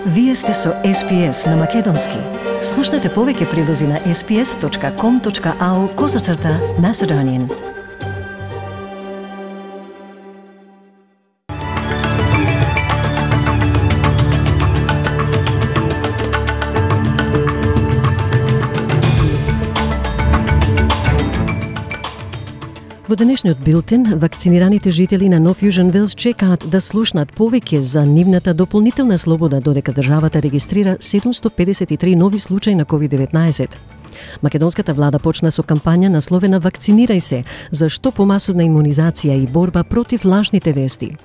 Вие сте со SPS на Македонски. Слушнете повеќе прилози на sps.com.au/Macedonian. Во денешниот билтен, вакцинираните жители на Нов Јужен Велс чекаат да слушнат повеќе за нивната дополнителна слобода, додека државата регистрира 753 нови случаи на COVID-19. Македонската влада почна со кампања насловена "Вакцинирај се", за што помасовна имунизација и борба против лажните вести.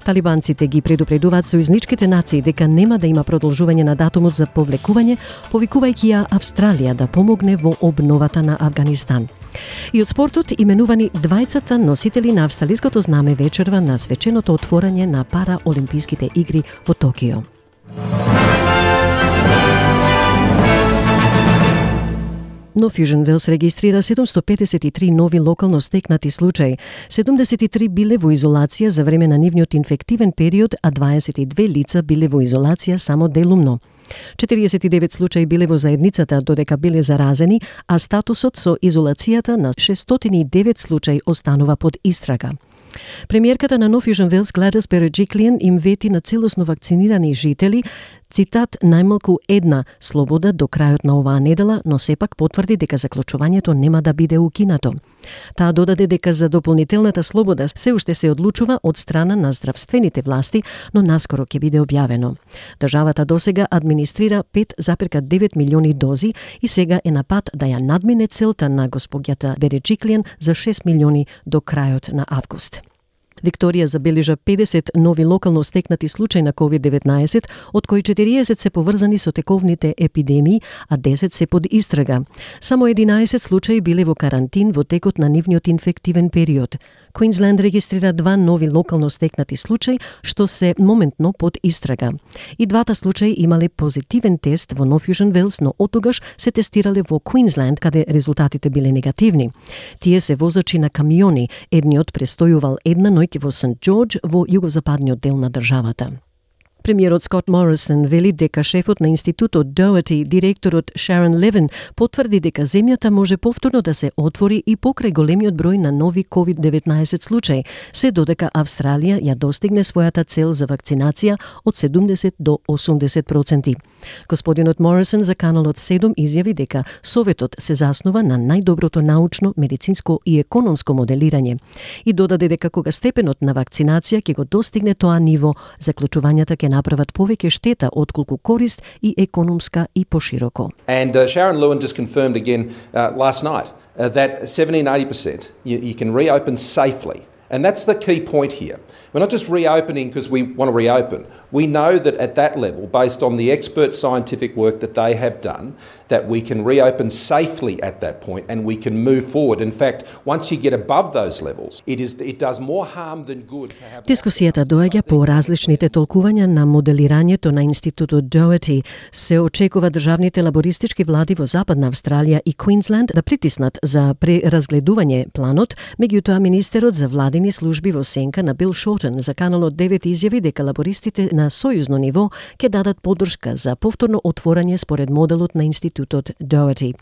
Талибанците ги предупредуваат сојузничките нации дека нема да има продолжување на датумот за повлекување, повикувајќи ја Австралија да помогне во обновата на Авганистан. И од спортот, именувани двајцата носители на австралиското знаме вечерва на свеченото отворање на Параолимписките игри во Токио. Нов Јужен Велс регистрира 753 нови локално стекнати случаи. 73 биле во изолација за време на нивниот инфективен период, а 22 лица биле во изолација само делумно. 49 случаи биле во заедницата додека биле заразени, а статусот со изолацијата на 609 случаи останува под истрага. Премиерката на Нов Јужен Велс Гледис Береджиклиен им вети на целосно вакцинирани жители, цитат, најмалку една слобода до крајот на оваа недела, но сепак потврди дека заклучувањето нема да биде укинато. Таа додаде дека за дополнителната слобода се уште се одлучува од страна на здравствените власти, но наскоро ќе биде објавено. Државата досега администрира 5,9 милиони дози и сега е на пат да ја надмине целта на госпоѓата Береджиклиен за 6 милиони до крајот на август. Викторија забележа 50 нови локално стекнати случаи на COVID-19, од кои 40 се поврзани со тековните епидемии, а 10 се под истрага. Само 11 случаи биле во карантин во текот на нивниот инфективен период. Квинсленд регистрира 2 нови локално стекнати случаи, што се моментно под истрага. И двата случаи имале позитивен тест во Нов Јужен Велс, но оттогаш се тестирале во Квинсленд, каде резултатите биле негативни. Тие се возачи на камиони, едниот престојувал една ноќ во Сент Џорџ во југозападниот дел на државата. Премиерот Скот Морисон вели дека шефот на институтот Доherty, директорот Шарон Левин, потврди дека земјата може повторно да се отвори и покрај големиот број на нови COVID-19 случаи, се додека Австралија ја достигне својата цел за вакцинација од 70 до 80%. Господинот Морисон за каналот 7 изјави дека советот се заснова на најдоброто научно, медицинско и економско моделирање и додаде дека кога степенот на вакцинација ќе го достигне тоа ниво, заклучувањата ќе направат повеќе штета отколку корист и економска и пошироко. And Sharon Lewin just confirmed again last night that 70-80% you can reopen safely. And that's the key point here. We're not just reopening because we want to reopen. We know that at that level, based on the expert scientific work that they have done, that we can reopen safely at that point and we can move forward. In fact, once you get above those levels, it does more harm than good to have... Дискусијата доаѓа по различните толкувања на моделирањето на институтот Doherty. Се очекува државните лабористички влади во Западна Австралија и Квинсленд да притиснат за преразгледување планот, меѓутоа министерот за владини служби во сенка на Бил Шортен за каналот 9 изјави дека лабористите на сојузно ниво ќе дадат поддршка за повторно отворање според моделот на институтот Doherty.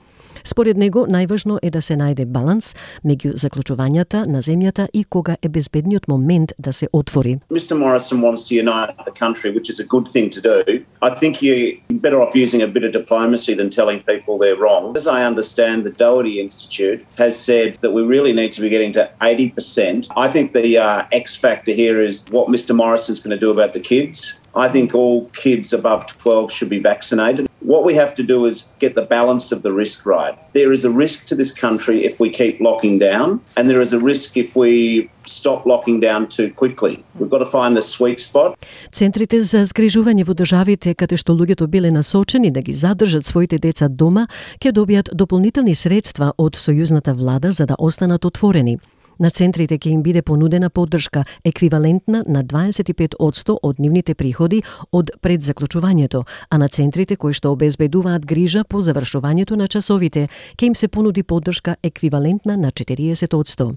Според него, најважно е да се најде баланс меѓу заклучувањата на земјата и кога е безбедниот момент да се отвори. Mr. Morrison wants to unite the country, which is a good thing to do. I think you're better off using a bit of diplomacy than telling people they're wrong. As I understand, the Doherty Institute has said that we really need to be getting to 80%. I think the X factor here is what Mr. Morrison's going to do about the kids. I think all kids above 12 should be vaccinated. What we have to do is get the balance of the risk right. There is a risk to this country if we keep locking down, and there is a risk if we stop locking down too quickly. We've got to find the sweet spot. Центрите за згрижување во државите каде што луѓето биле насочени да ги задржат своите деца дома, ќе добијат дополнителни средства од сојузната влада за да останат отворени. На центрите ќе им биде понудена поддршка еквивалентна на 25% од нивните приходи од предзаклучувањето, а на центрите кои што обезбедуваат грижа по завршувањето на часовите ќе им се понуди поддршка еквивалентна на 40%.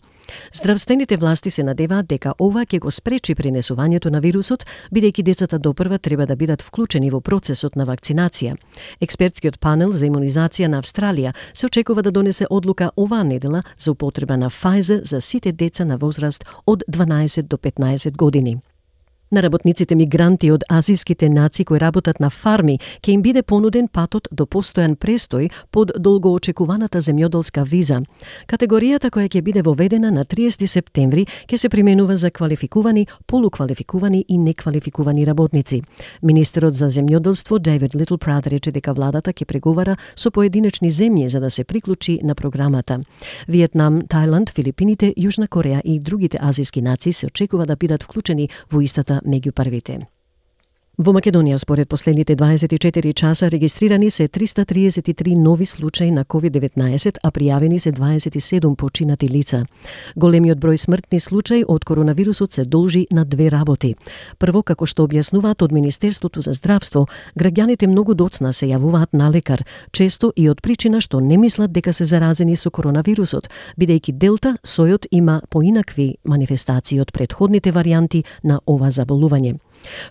Здравствените власти се надеваат дека ова ќе го спречи пренесувањето на вирусот, бидејќи децата допрва треба да бидат вклучени во процесот на вакцинација. Експертскиот панел за имунизација на Австралија се очекува да донесе одлука оваа недела за употреба на Pfizer за сите деца на возраст од 12 до 15 години. На работниците мигранти од азијските нации кои работат на фарми ќе им биде понуден патот до постојан престој под долгоочекуваната земјоделска виза. Категоријата која ќе биде воведена на 30 септември ќе се применува за квалификувани, полуквалификувани и неквалификувани работници. Министерот за земјоделство Дейвид Литлпрат рече дека владата ќе преговара со поединечни земји за да се приклучи на програмата. Виетнам, Тајланд, Филипините, Јужна Кореја и другите азијски нации се очекува да бидат вклучени во истата меѓу првите. Во Македонија, според последните 24 часа, регистрирани се 333 нови случаи на COVID-19, а пријавени се 27 починати лица. Големиот број смртни случаи од коронавирусот се должи на две работи. Прво, како што објаснуваат од Министерството за здравство, граѓаните многу доцна се јавуваат на лекар, често и од причина што не мислат дека се заразени со коронавирусот, бидејќи Делта сојот има поинакви манифестации од претходните варијанти на ова заболување.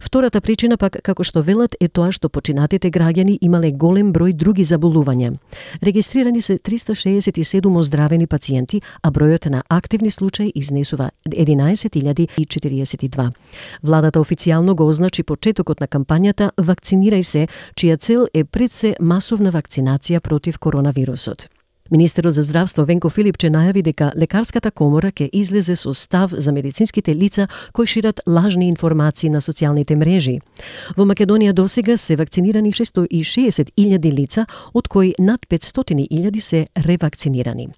Втората причина пак, како што велат, е тоа што починатите граѓани имале голем број други заболувања. Регистрирани се 367 оздравени пациенти, а бројот на активни случаи изнесува 11.042. Владата официјално го означи почетокот на кампањата "Вакцинирај се", чија цел е пред се масовна вакцинација против коронавирусот. Министерот за здравство Венко Филипче најави дека лекарската комора ќе излезе со став за медицинските лица кои шират лажни информации на социјалните мрежи. Во Македонија досега се вакцинирани 660.000 лица, од кои над 500.000 се ревакцинирани.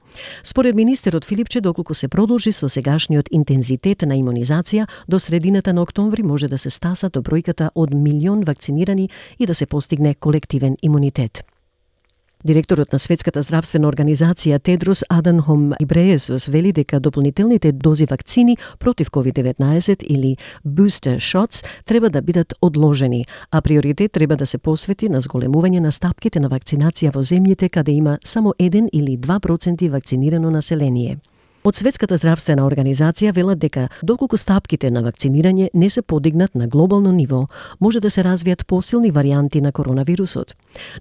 Според министерот Филипче, доколку се продолжи со сегашниот интензитет на имунизација, до средината на октомври може да се стаса до бројката од 1 милион вакцинирани и да се постигне колективен имунитет. Директорот на Светската здравствена организација Тедрос Аданхом Гебрејесус вели дека дополнителните дози вакцини против COVID-19 или booster shots треба да бидат одложени, а приоритет треба да се посвети на зголемување на стапките на вакцинација во земјите каде има само 1 или 2% вакцинирано население. Од Светската здравствена организација велат дека доколку стапките на вакцинирање не се подигнат на глобално ниво, може да се развијат посилни варијанти на коронавирусот.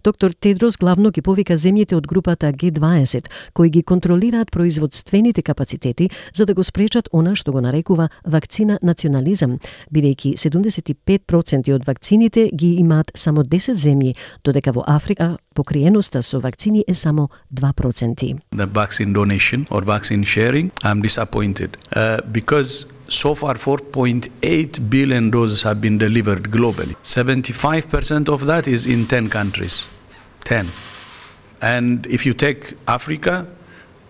Доктор Тедрос главно ги повика земјите од групата G20, кои ги контролираат производствените капацитети за да го спречат она што го нарекува вакцина национализам, бидејќи 75% од вакцините ги имаат само 10 земји, додека во Африка покриеноста со вакцини е само 2%. The vaccine donation or vaccine sharing, I'm disappointed because so far 4.8 billion doses have been delivered globally. 75% of that is in 10 countries. 10. And if you take Africa,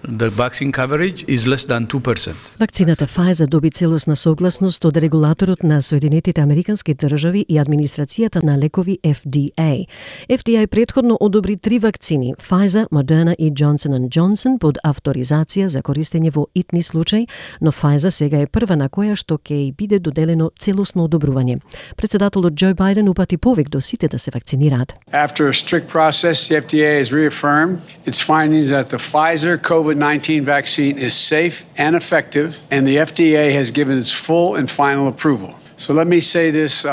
the vaccine coverage is less than 2%. Вакцината Pfizer доби целосна согласност од регулаторот на Соединетите Американски држави и администрацијата на лекови FDA. FDA претходно одобри 3 вакцини, Pfizer, Moderna и Johnson & Johnson под авторизација за користење во итни случаи, но Pfizer сега е прва на која што ќе и биде доделено целосно одобрување. Председателот Џо Бајден упати повик до сите да се вакцинираат. After a strict process, the FDA has reaffirmed its findings that the Pfizer COVID-19 vaccine is safe and effective, and the FDA has given its full and final approval. So let me say this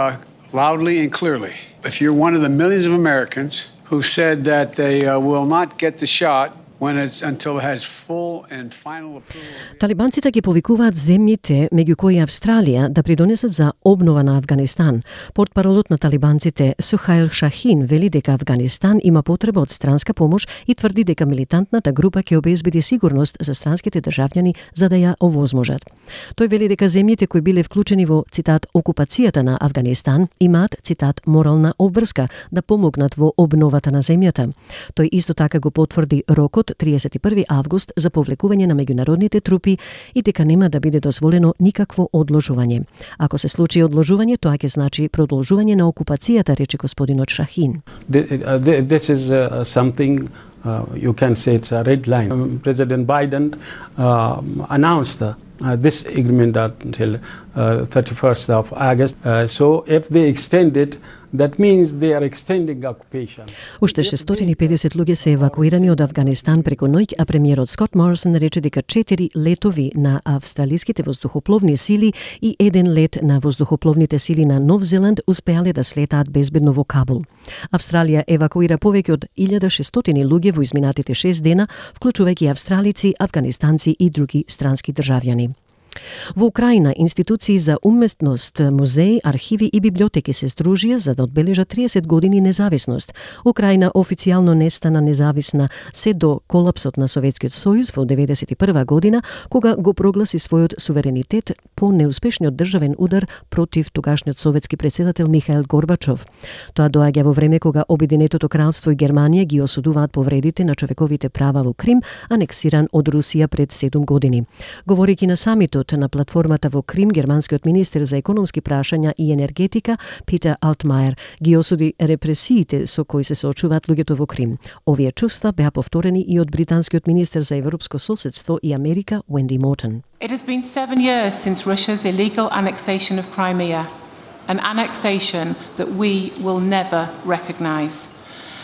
loudly and clearly. If you're one of the millions of Americans who said that they will not get the shot until it has full and final approval. Талибанците ги повикуваат земјите, меѓу кои Австралија, да придонесат за обнова на Афганистан. Портпаролот на талибанците Сухаил Шахин вели дека Афганистан има потреба од странска помош и тврди дека милитантната група ќе обезбеди сигурност за странските државјани за да ја овозможат. Тој вели дека земјите кои биле вклучени во, цитат, окупацијата на Афганистан имаат, цитат, морална обврска да помогнат во обновата на земјата. Тој исто така го потврди рокот 31 август за повлекување на меѓународните трупи и дека нема да биде дозволено никакво одложување. Ако се случи одложување, тоа ќе значи продолжување на окупацијата, рече господинот Шахин. This is something you can say it's a red line. President Biden announced this agreement until 31st of August. So if they extend it, that means they are extending occupation. Уште 650 луѓе се евакуирани од Афганистан преку ноќ, а премиерот Скот Морисон рече дека 4 летови на австралиските воздухопловни сили и 1 лет на воздухопловните сили на Нов Зеланд успеале да слетаат безбедно во Кабул. Австралија евакуира повеќе од 1600 луѓе во изминатите 6 дена, вклучувајќи австралици, афганистанци и други странски државјани. Во Украина, институции за уметност, музеи, архиви и библиотеки се здружија за да одбележат 30 години независност. Украина официјално не стана независна се до колапсот на Советскиот сојуз во 1991 година, кога го прогласи својот суверенитет по неуспешниот државен удар против тогашниот советски претседател Михаил Горбачов. Тоа доаѓа во време кога Обединетото кралство и Германија ги осудуваат повредите на човековите права во Крим, анексиран од Русија пред 7 години. Говорејќи на самитот на платформата во Крим, германскиот министер за економски прашања и енергетика Питер Алтмајер ги осуди репресиите со кои се соочуваат луѓето во Крим. Овие чувства беа повторени и од британскиот министер за европско соседство и Америка Wendy Morton. It has been 7 years since Russia's illegal annexation of Crimea, an annexation that we will never recognise.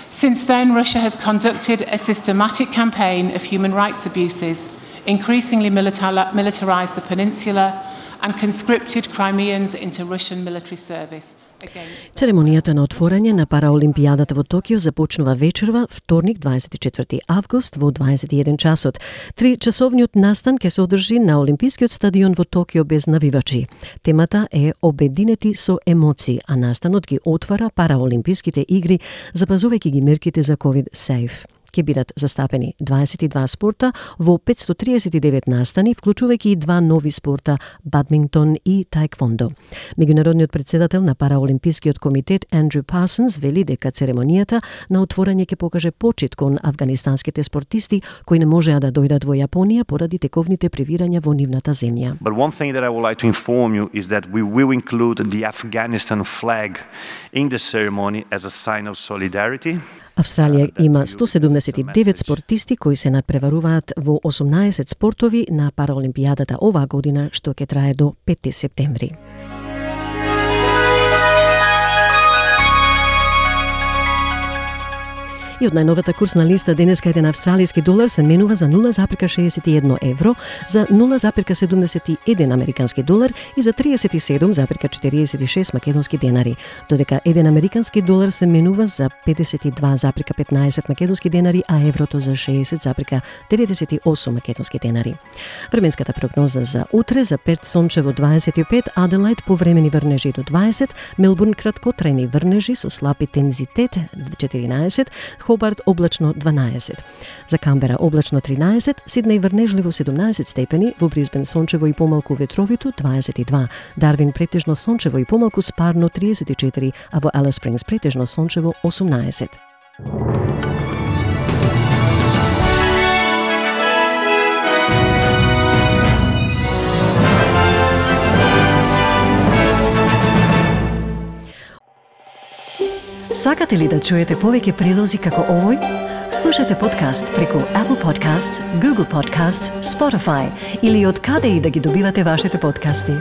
Since then, Russia has conducted a systematic campaign of human rights abuses, increasingly militarized the peninsula and conscripted Crimeans into Russian military service. Церемонијата на отворање на Параолимпијадата во Токио започнува вечерва, вторник 24 август во 21 часот. 3-часовниот настан ќе се одржи на Олимпискиот стадион во Токио без навивачи. Темата е Обединети со емоции, а настанот ги отвара Параолимписките игри, запазувајќи ги мерките за COVID-safe. Ке бидат застапени 22 спорта во 539 настани, вклучувајќи и 2 нови спорта, бадминтон и таеквондо. Меѓународниот претседател на Параолимпискиот комитет Андрю Парсонс вели дека церемонијата на отворање ќе покаже почит кон афганистанските спортисти кои не можеа да дојдат во Јапонија поради тековните превирања во нивната земја. But one thing that I would like to inform you is that we will include the Afghanistan flag in the ceremony as a sign of solidarity. Австралија има 179 спортисти кои се надпреваруваат во 18 спортови на Параолимпијадата оваа година, што ќе трае до 5 септември. И од најновата курсна листа денеска еден австралиски долар се менува за 0,61 евро, за 0,71 американски долар и за 37,46 македонски денари, додека еден американски долар се менува за 52,15 македонски денари, а еврото за 60,98 македонски денари. Временската прогноза за утре: за Перт сончево 25, Аделаид повремени врнежи до 20, Мелбурн краткотрајни врнежи со слаб интензитет 14, Хобарт облачно 12. За Камбера облачно 13, Сиднеј врнежливо 17 степени, во Брисбен сончево и помалку ветровито 22, Дарвин претежно сончево и помалку спарно 34, а во Алис Спрингс претежно сончево 18. Сакате ли да чуете повеќе прилози како овој? Слушате подкаст преку Apple Podcasts, Google Podcasts, Spotify или од каде и да ги добивате вашите подкасти.